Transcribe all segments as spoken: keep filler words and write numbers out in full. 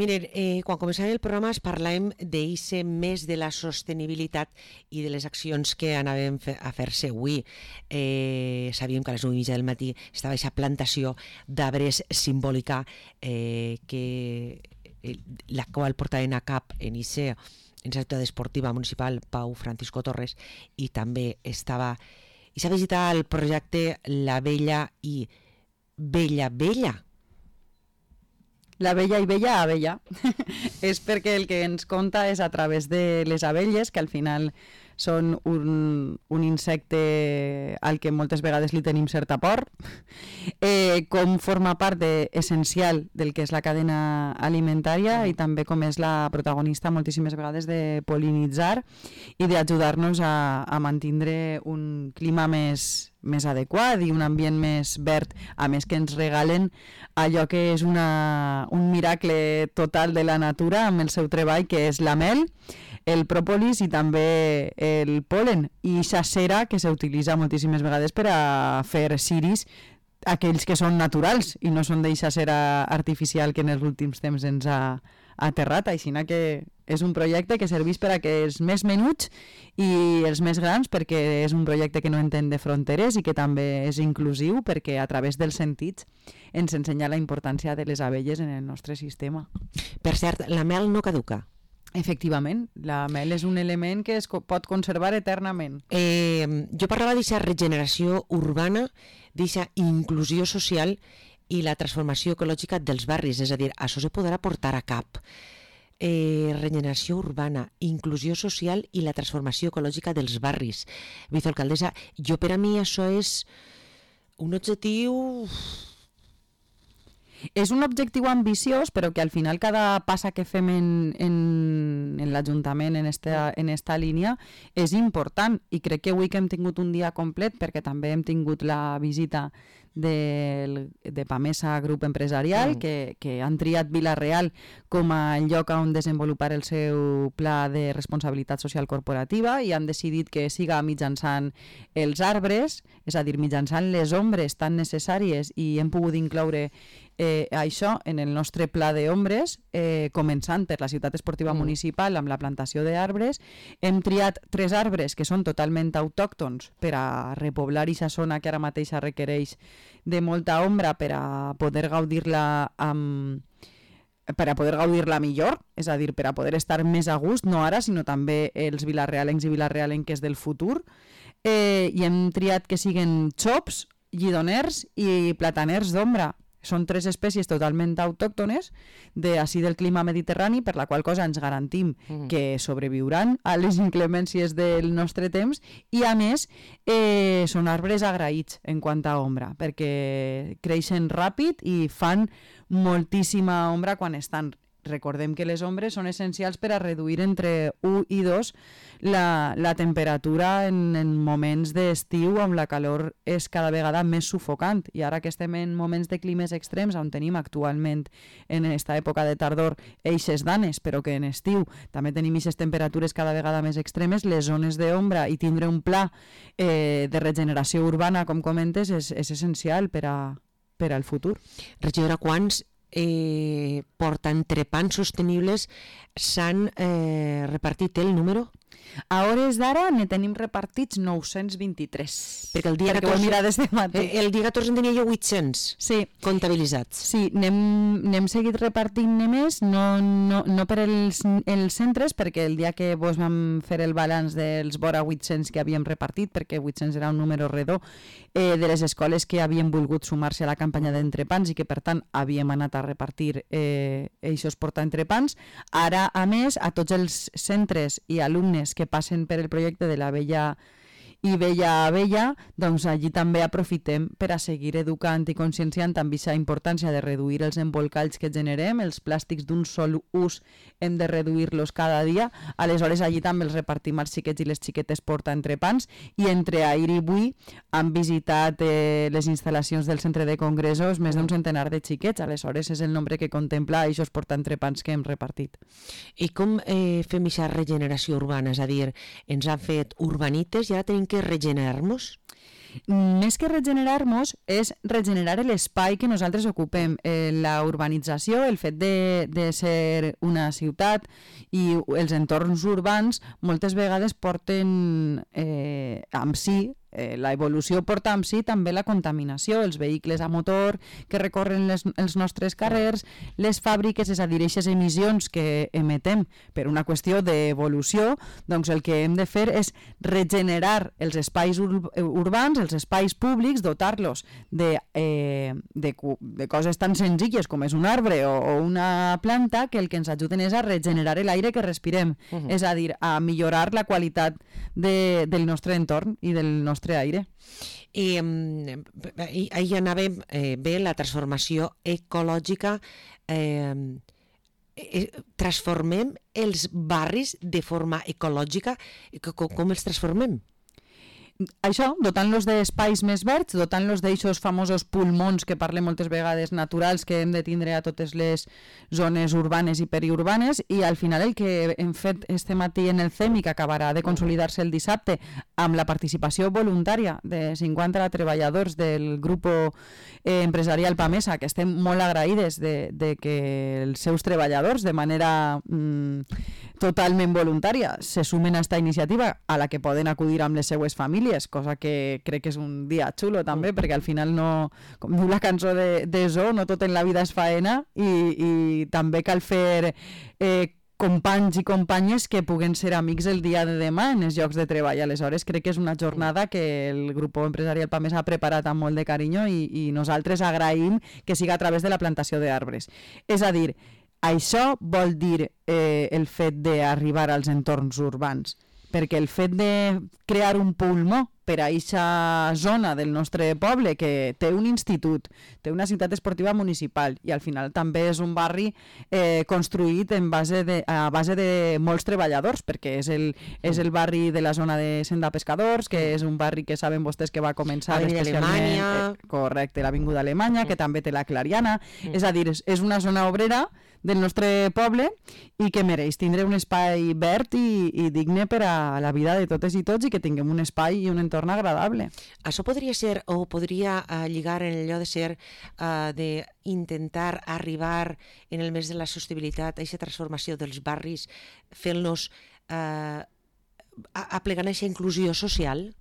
Miren, eh, quan començàvem el programa es parlàvem d'eixe mes de la sostenibilitat i de les accions que anàvem a fer-se avui. Eh, sabíem que a les nou i mitja del matí estava aquesta plantació d'arbres simbòlica eh, que eh, la qual portaven a cap en eixa en la ciutat esportiva municipal Pau Francisco Torres, i també estava i s'ha visitat el projecte La Vella i Bella Bella. La Bella i Bella Abella. És perquè el que ens conta és a través de les abelles, que al final són un, un insecte al que moltes vegades li tenim certa por, eh, com forma part de, essencial del que és la cadena alimentària i també com és la protagonista moltíssimes vegades de polinitzar i d'ajudar-nos a, a mantindre un clima més, més adequat i un ambient més verd, a més que ens regalen allò que és una, un miracle total de la natura amb el seu treball, que és la mel, el pròpolis i també el polen, i aquesta cera que s'utilitza moltíssimes vegades per a fer ciris, aquells que són naturals i no són d'eixa cera artificial que en els últims temps ens ha aterrat. Així que és un projecte que serveix per a que els més menuts i els més grans, perquè és un projecte que no entén de fronteres i que també és inclusiu, perquè a través dels sentits ens ensenya la importància de les abelles en el nostre sistema. Per cert, la mel no caduca. Efectivament, la mel és un element que es pot conservar eternament. Eh, jo parlava d'aquesta regeneració urbana, d'aquesta inclusió social i la transformació ecològica dels barris, és a dir, això se podrà portar a cap. Eh, regeneració urbana, inclusió social i la transformació ecològica dels barris. Vicealcaldessa, jo per a mi això és un objectiu... És un objectiu ambiciós, però que al final cada passa que fem en, en, en l'Ajuntament en esta, en esta línia és important, i crec que avui que hem tingut un dia complet, perquè també hem tingut la visita de, de Pamesa Grup Empresarial, mm. que, que han triat Vila-real com a lloc on desenvolupar el seu pla de responsabilitat social corporativa, i han decidit que siga mitjançant els arbres, és a dir, mitjançant les ombres tan necessàries, i hem pogut incloure Eh, això en el nostre pla d'ombres, eh, començant per la ciutat esportiva mm. municipal amb la plantació d'arbres. Hem triat tres arbres que són totalment autòctons per a repoblar aquesta zona que ara mateix requereix de molta ombra per a poder gaudir-la amb... per a poder gaudir-la millor, és a dir, per a poder estar més a gust, no ara, sinó també els vilarrealencs i vilarrealenques del futur. Eh, I hem triat que siguen xops, lledoners i plataners d'ombra. Són tres espècies totalment autòctones d'ací del clima mediterrani, per la qual cosa ens garantim mm. que sobreviuran a les inclemències del nostre temps, i a més eh, són arbres agraïts en quant a ombra, perquè creixen ràpid i fan moltíssima ombra quan estan. Recordem que les ombres són essencials per a reduir entre u i dos la, la temperatura en, en moments d'estiu on la calor és cada vegada més sufocant, i ara que estem en moments de climes extrems on tenim actualment en aquesta època de tardor eixes danes, però que en estiu també tenim eixes temperatures cada vegada més extremes, les zones d'ombra i tindre un pla eh, de regeneració urbana, com comentes, és, és essencial per, a, per al futur. Regidora, quants Eh, portaentrepans sostenibles s'han eh, repartit el número? A hores d'ara ne tenim repartits nou-cents vint-i-tres. Perquè el dia Perquè catorze, ho he mirat des de matí. El dia catorze en tenia jo vuit-cents sí. comptabilitzats. Sí, n'hem seguit repartint-ne més, no, no, no per els, els centres, perquè el dia que vos vam fer el balanç dels vora vuit-cents que havíem repartit, perquè vuit-cents era un número redó, eh, de les escoles que havien volgut sumar-se a la campanya d'entrepans i que per tant havíem anat a repartir eh, eixos portaentrepans. Ara, a més, a tots els centres i alumnes que passen per el projecte de la Vella i Bella Abella, doncs allí també aprofitem per a seguir educant i conscienciant amb aquesta importància de reduir els embolcalls que generem, els plàstics d'un sol ús hem de reduir-los cada dia, aleshores allí també els repartim als xiquets i les xiquetes portaentrepans, i entre ahir i avui han visitat eh, les instal·lacions del centre de congressos més d'un centenar de xiquets, aleshores és el nombre que contempla aquests portaentrepans que hem repartit. I com eh, fem aquesta regeneració urbana? És a dir, ens han fet urbanites i ara tenim que regenerar-nos? Més que regenerar-nos, és regenerar l'espai que nosaltres ocupem. Eh, la urbanització, el fet de, de ser una ciutat i els entorns urbans moltes vegades porten eh, amb si Eh, la evolució porta amb si també la contaminació, els vehicles a motor que recorren les, els nostres carrers, les fàbriques, és a dir, aquestes emissions que emetem per una qüestió d'evolució, doncs el que hem de fer és regenerar els espais ur urbans, els espais públics, dotar-los de, eh, de, de coses tan senzilles com és un arbre o, o una planta que el que ens ajuden és a regenerar l'aire que respirem, uh -huh. és a dir, a millorar la qualitat de, del nostre entorn i del nostre aire. I eh, ahir anàvem eh, bé la transformació ecològica. Eh, eh, transformem els barris de forma ecològica. Com, com els transformem? Això, dotant-los d'espais més verds, dotant-los d'eixos famosos pulmons que parlem moltes vegades naturals que hem de tindre a totes les zones urbanes i periurbanes, i al final el que hem fet este matí en el C E M i que acabarà de consolidar-se el dissabte amb la participació voluntària de cinquanta treballadors del grup eh, empresarial PAMESA, que estem molt agraïdes de, de que els seus treballadors de manera mm, totalment voluntària se sumen a esta iniciativa, a la que poden acudir amb les seues famílies, cosa que crec que és un dia xulo també, perquè al final no, com diu la cançó de, de Zo, no tot en la vida és faena, i, i també cal fer eh, companys i companyes que puguen ser amics el dia de demà en els llocs de treball. Aleshores crec que és una jornada que el grup empresarial PAMESA ha preparat amb molt de carinyo i, i nosaltres agraïm que siga a través de la plantació d'arbres. És a dir, això vol dir eh, el fet d'arribar als entorns urbans, perquè el fet de crear un pulmó per a aquesta zona del nostre poble que té un institut, té una ciutat esportiva municipal i al final també és un barri eh, construït en base de, a base de molts treballadors, perquè és el, és el barri de la zona de Senda Pescadors, que és un barri que saben vostès que va començar especialment... Eh, correcte, l'Avinguda Alemanya, que també té la Clariana, mm. és a dir, és, és una zona obrera del nostre poble i que mereix tindre un espai verd i, i digne per a la vida de totes i tots, i que tinguem un espai i un entorn agradable. Això podria ser, o podria uh, lligar en allò de ser, uh, d'intentar arribar en el mes de la sostenibilitat a aquesta transformació dels barris, fent-los uh, aplegant aquesta inclusió social?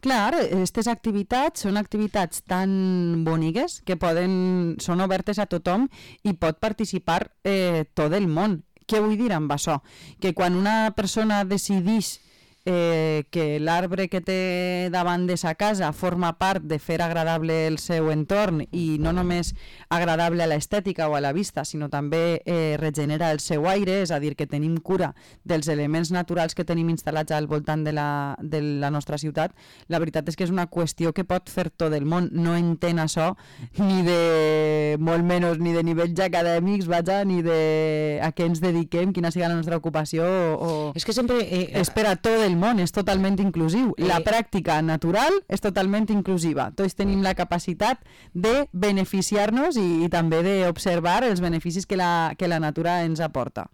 Clar, aquestes activitats són activitats tan boniques que poden, són obertes a tothom i pot participar eh, tot el món. Què vull dir amb això? Que quan una persona decideix eh, que l'arbre que té davant de sa casa forma part de fer agradable el seu entorn, i no només agradable a l'estètica o a la vista, sinó també eh, regenera el seu aire, és a dir, que tenim cura dels elements naturals que tenim instal·lats al voltant de la, de la nostra ciutat, la veritat és que és una qüestió que pot fer tot el món. No entén això ni de molt menys ni de nivells acadèmics, vaja, ni de a què ens dediquem, quina sigui la nostra ocupació, o... És que sempre... Eh, és per a tot el món, és totalment inclusiu. La pràctica natural és totalment inclusiva. Tots tenim la capacitat de beneficiar-nos i, i també d'observar els beneficis que la, que la natura ens aporta.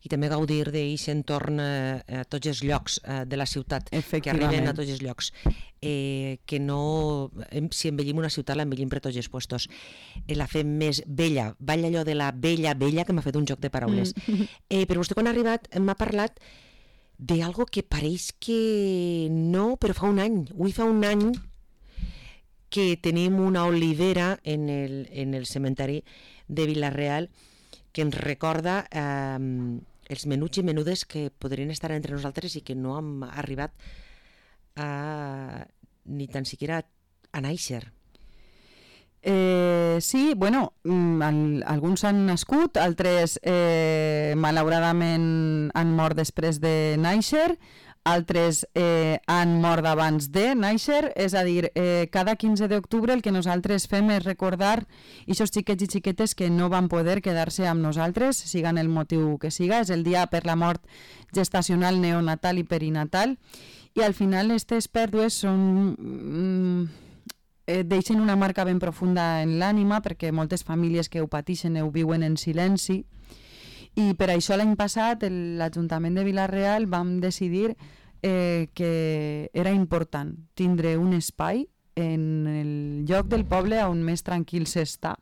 I també gaudir d'aquest entorn eh, a tots els llocs eh, de la ciutat, que arriben a tots els llocs. Eh, que no... Si embellim una ciutat, l'embellim per tots els puestos. Eh, la fem més vella. Balla allò de la vella, vella, que m'ha fet un joc de paraules. Mm. Eh, però vostè quan ha arribat m'ha parlat d'algo que pareix que no, però fa un any. Avui fa un any que tenim una olivera en el, en el cementeri de Vila-real que ens recorda eh, els menuts i menudes que podrien estar entre nosaltres i que no hem arribat a, ni tan siquiera a néixer. Eh, sí, bueno, al, alguns han nascut, altres eh, malauradament han mort després de néixer, altres eh, han mort abans de néixer, és a dir, eh, cada quinze d'octubre el que nosaltres fem és recordar aquests xiquets i xiquetes que no van poder quedar-se amb nosaltres, sigan el motiu que siga. És el dia per la mort gestacional, neonatal i perinatal, i al final aquestes pèrdues són... Mm, eh, deixen una marca ben profunda en l'ànima, perquè moltes famílies que ho pateixen ho viuen en silenci, i per això l'any passat l'Ajuntament de Vila-real vam decidir eh, que era important tindre un espai en el lloc del poble on més tranquil s'està,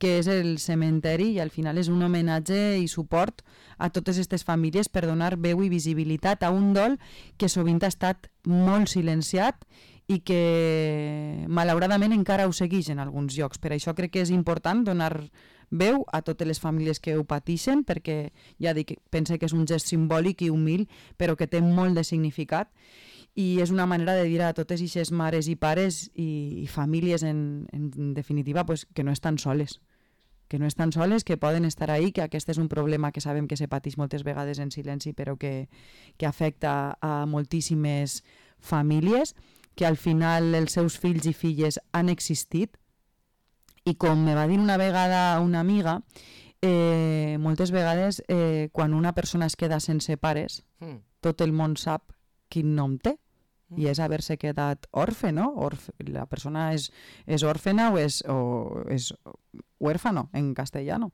que és el cementeri, i al final és un homenatge i suport a totes aquestes famílies per donar veu i visibilitat a un dol que sovint ha estat molt silenciat i que malauradament encara ho segueix en alguns llocs. Per això crec que és important donar veu a totes les famílies que ho pateixen, perquè ja dic, pense que és un gest simbòlic i humil, però que té molt de significat, i és una manera de dir a totes aquestes mares i pares i, i famílies en, en definitiva pues, que no estan soles, que no estan soles, que poden estar ahí, que aquest és un problema que sabem que se pateix moltes vegades en silenci, però que, que afecta a moltíssimes famílies, que al final els seus fills i filles han existit, i com me va dir una vegada una amiga, eh, moltes vegades eh, quan una persona es queda sense pares, mm. tot el món sap quin nom té, mm. i és haver-se quedat orfe, no? Orfe, la persona és, és òrfena o és, o és huérfano en castellano.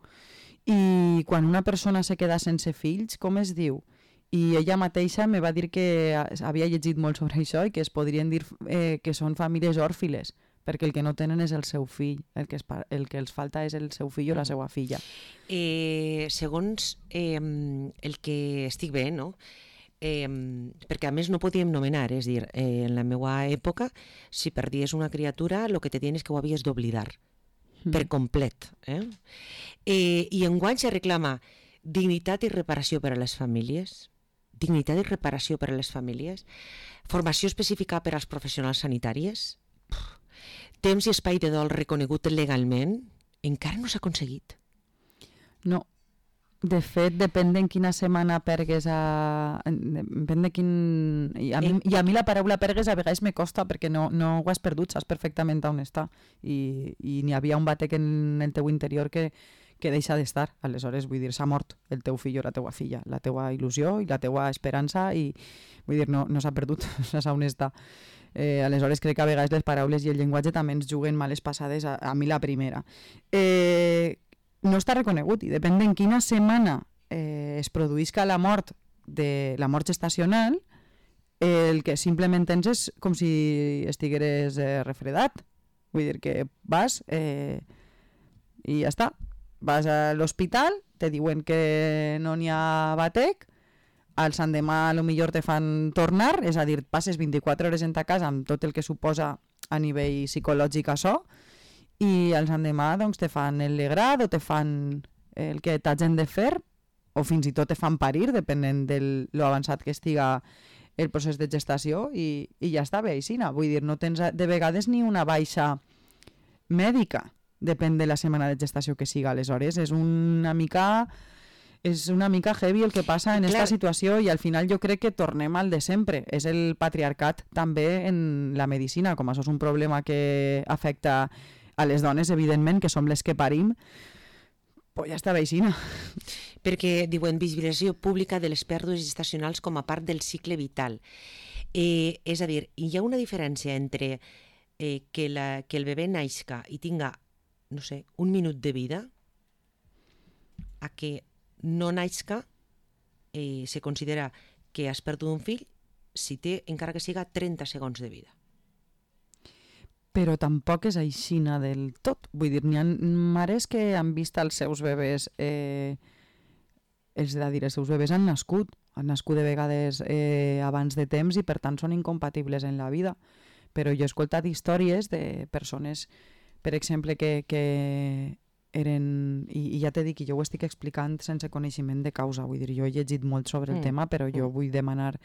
I quan una persona se queda sense fills, com es diu? I ella mateixa me va dir que havia llegit molt sobre això i que es podrien dir eh, que són famílies òrfiles, perquè el que no tenen és el seu fill, el que, es, el que els falta és el seu fill o la seva filla. Eh, segons eh, el que estic bé, no? Eh, perquè a més no podíem nomenar, és dir, eh, en la meva època, si perdies una criatura, el que te tienes que ho havies d'oblidar, mm. per complet. Eh? Eh, I enguany se reclama dignitat i reparació per a les famílies, dignitat i reparació per a les famílies, formació específica per als professionals sanitaris, temps i espai de dol reconegut legalment, encara no s'ha aconseguit. No. De fet, depèn de quina setmana pergues a... Depèn de quin... I a, mi, I a mi la paraula pergues a vegades me costa perquè no, no ho has perdut, saps perfectament on està. I, i n'hi havia un batec en el teu interior que, que deixa d'estar. Aleshores, vull dir, s'ha mort el teu fill o la teua filla, la teua il·lusió i la teua esperança, i vull dir, no, no s'ha perdut, s'ha on està. Eh, aleshores crec que a vegades les paraules i el llenguatge també ens juguen males passades, a, a mi la primera. Eh, no està reconegut, i depèn de quina setmana eh, es produïsca la mort de la mort gestacional, eh, el que simplement tens és com si estigueres eh, refredat. Vull dir que vas eh, i ja està. Vas a l'hospital, te diuen que no n'hi ha batec, al l'endemà potser te fan tornar, és a dir, passes vint-i-quatre hores en ta casa amb tot el que suposa a nivell psicològic això, i al l'endemà doncs, te fan el legrat o te fan el que t'hagin de fer, o fins i tot te fan parir, depenent de lo avançat que estiga el procés de gestació, i, i ja està bé aixina. Vull dir, no tens de vegades ni una baixa mèdica, depèn de la setmana de gestació que siga. Aleshores, és una mica... és una mica heavy el que passa en aquesta situació, i al final jo crec que tornem al de sempre. És el patriarcat també en la medicina, com això és un problema que afecta a les dones, evidentment, que som les que parim, pues ja està veixina. Perquè diuen visibilització pública de les pèrdues gestacionals com a part del cicle vital. Eh, és a dir, hi ha una diferència entre eh, que, la, que el bebè naixca i tinga, no sé, un minut de vida, a que no naixca, eh, se considera que has perdut un fill si té, encara que siga, trenta segons de vida. Però tampoc és aixina del tot. Vull dir, n'hi ha mares que han vist els seus bebès, eh, és a dir, els seus bebès han nascut, han nascut de vegades eh, abans de temps i per tant són incompatibles en la vida. Però jo he escoltat històries de persones, per exemple, que, que eren, i, i ja t'he dit que jo ho estic explicant sense coneixement de causa, vull dir, jo he llegit molt sobre el mm. tema, però jo mm. vull demanar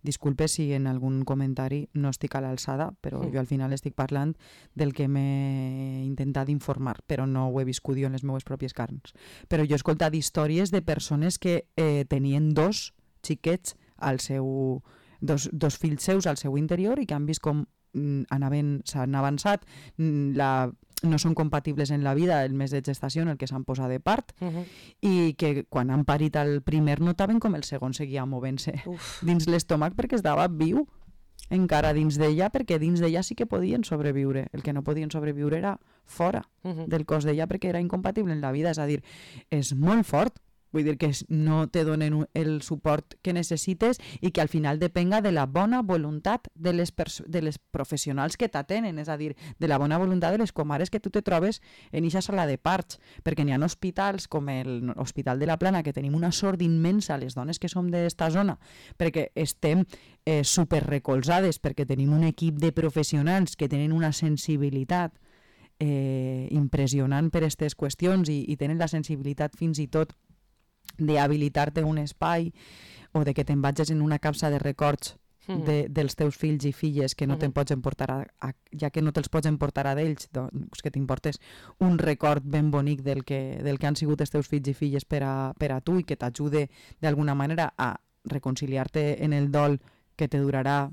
disculpes si en algun comentari no estic a l'alçada, però mm. jo al final estic parlant del que m'he intentat informar, però no ho he viscut jo en les meves pròpies carns. Però jo he escoltat històries de persones que eh, tenien dos xiquets al seu, dos, dos fills seus al seu interior i que han vist com mm, anaven, s'han avançat, mm, la no són compatibles en la vida el mes de gestació en el que s'han posat de part, uh-huh. i que quan han parit el primer notaven com el segon seguia movent-se dins l'estómac perquè estava viu encara dins d'ella, perquè dins d'ella sí que podien sobreviure. El que no podien sobreviure era fora uh-huh. del cos d'ella perquè era incompatible en la vida. És a dir, és molt fort vull dir que no te donen el suport que necessites i que al final depenga de la bona voluntat de les, de les professionals que t'atenen, és a dir, de la bona voluntat de les comares que tu te trobes en eixa sala de parts, perquè n'hi ha hospitals com l'Hospital de la Plana, que tenim una sort immensa, les dones que som d'esta zona, perquè estem eh, superrecolzades, perquè tenim un equip de professionals que tenen una sensibilitat eh, impressionant per aquestes qüestions i, i tenen la sensibilitat fins i tot d'habilitar-te un espai o de que te'n vagis en una capsa de records de, dels teus fills i filles que no te'n pots emportar a, a, ja que no te'ls pots emportar a d'ells, doncs que t'importes un record ben bonic del que, del que han sigut els teus fills i filles per a, per a tu i que t'ajude d'alguna manera a reconciliar-te en el dol que te durarà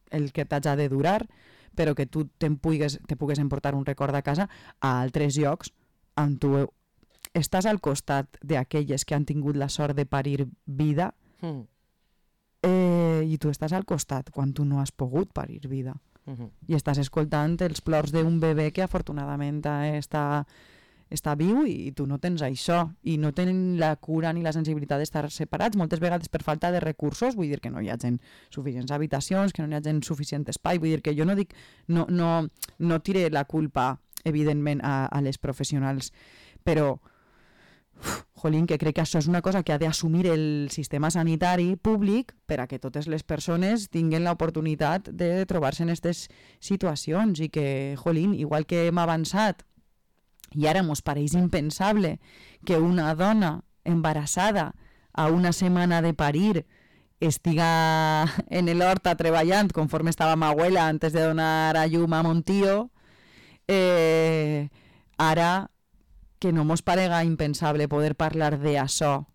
el que t'haig de durar, però que tu te'n pugues, te pugues emportar un record a casa a altres llocs on tu estàs al costat d'aquelles que han tingut la sort de parir vida mm. eh, i tu estàs al costat quan tu no has pogut parir vida. Mm-hmm. I estàs escoltant els plors d'un bebè que afortunadament està, està viu i tu no tens això i no tenen la cura ni la sensibilitat d'estar separats, moltes vegades per falta de recursos, vull dir que no hi ha gent suficients habitacions, que no hi ha gent suficient espai, vull dir que jo no dic, no, no, no tire la culpa evidentment a, a les professionals, però uf, jolín, que crec que això és una cosa que ha d'assumir el sistema sanitari públic per a que totes les persones tinguin l'oportunitat de trobar-se en aquestes situacions i que, jolín, igual que hem avançat i ara mos pareix impensable que una dona embarassada a una setmana de parir estiga en l'horta treballant conforme estava ma abuela antes de donar a llum a mon tío, eh, ara que no mos parega impensable poder parlar d'això,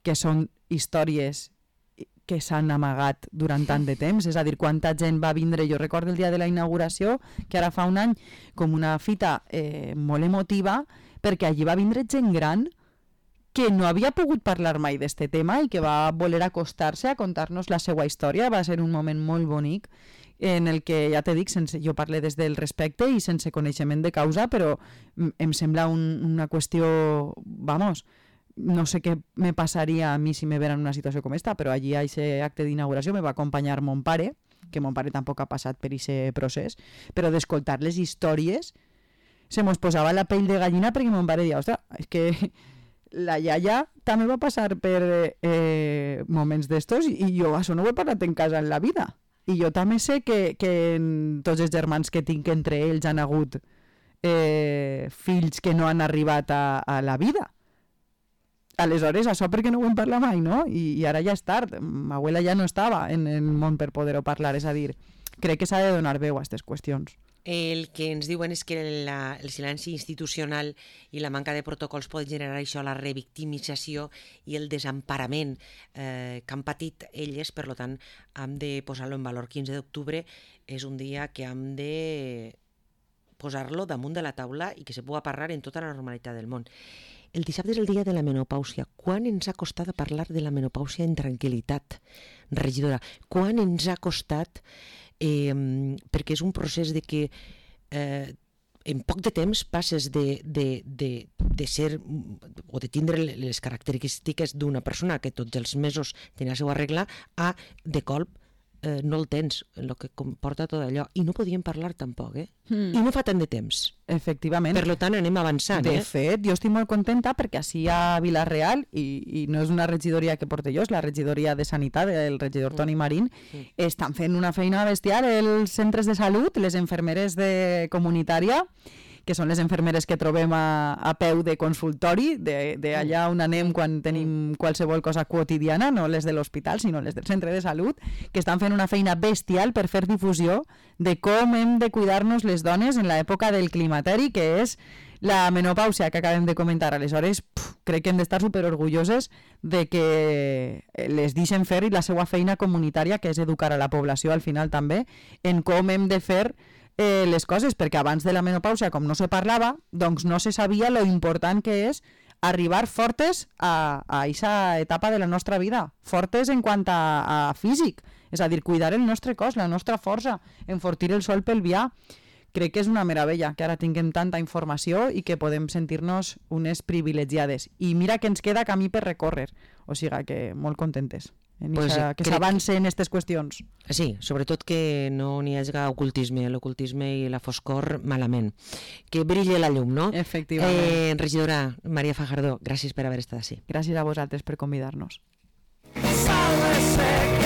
que són històries que s'han amagat durant tant de temps, és a dir, quanta gent va vindre, jo recordo el dia de la inauguració, que ara fa un any, com una fita eh, molt emotiva, perquè allí va vindre gent gran que no havia pogut parlar mai d'este tema i que va voler acostar-se a contar-nos la seva història. Va ser un moment molt bonic en el que, ja te dic, sense, jo parlo des del respecte i sense coneixement de causa, però em sembla un, una qüestió, vamos, no sé què me passaria a mi si me vera en una situació com esta, però allí a aquest acte d'inauguració me va acompanyar mon pare, que mon pare tampoc ha passat per aquest procés, però d'escoltar les històries se mos posava la pell de gallina perquè mon pare deia, ostres, és que la iaia també va passar per eh, moments d'estos i jo això no ho he parlat en casa en la vida. I jo també sé que, que tots els germans que tinc entre ells han hagut eh, fills que no han arribat a, a la vida. Aleshores, això perquè no ho hem parlat mai, no? I, i ara ja és tard. Ma abuela ja no estava en el món per poder-ho parlar. És a dir, crec que s'ha de donar veu a aquestes qüestions. El que ens diuen és que la, el silenci institucional i la manca de protocols pot generar això, la revictimització i el desemparament eh, que han patit elles, per tant, hem de posar-lo en valor. quinze d'octubre és un dia que hem de posar-lo damunt de la taula i que se pugui parlar en tota la normalitat del món. El dissabte és el dia de la menopàusia. Quan ens ha costat parlar de la menopàusia en tranquil·litat, regidora? Quan ens ha costat... Eh, perquè és un procés de que eh, en poc de temps passes de, de, de, de ser o de tindre les característiques d'una persona que tots els mesos té la seva regla a, de colp, eh, no el tens, el que comporta tot allò. I no podíem parlar tampoc, eh? Mm. I no fa tant de temps. Efectivament. Per tant, anem avançant, de eh? De fet, jo estic molt contenta perquè així a Vila-real, i, i no és una regidoria que porte jo, és la regidoria de Sanitat, el regidor Toni Marín, mm. estan fent una feina bestial els centres de salut, les infermeres de comunitària, que són les infermeres que trobem a, a peu de consultori, d'allà on anem quan tenim qualsevol cosa quotidiana, no les de l'hospital, sinó les del centre de salut, que estan fent una feina bestial per fer difusió de com hem de cuidar-nos les dones en l'època del climateri, que és la menopàusia que acabem de comentar. Aleshores, puf, crec que hem d'estar superorgulloses de que les deixen fer i la seva feina comunitària, que és educar a la població al final també, en com hem de fer Eh, les coses, perquè abans de la menopàusia, com no se parlava, doncs no se sabia lo important que és arribar fortes a aquesta etapa de la nostra vida, fortes en quant a, a físic, és a dir, cuidar el nostre cos, la nostra força, enfortir el sol pelvià, crec que és una meravella que ara tinguem tanta informació i que podem sentir-nos unes privilegiades. I mira que ens queda camí per recórrer, o sigui que molt contentes. Pues ixa, que s'avance en aquestes qüestions. Sí, sobretot que no n'hi hagi ocultisme, l'ocultisme i la foscor malament. Que brilli la llum, no? Efectivament. Eh, regidora Maria Fajardo, gràcies per haver estat així. Gràcies a vosaltres per convidar-nos. Sal de sec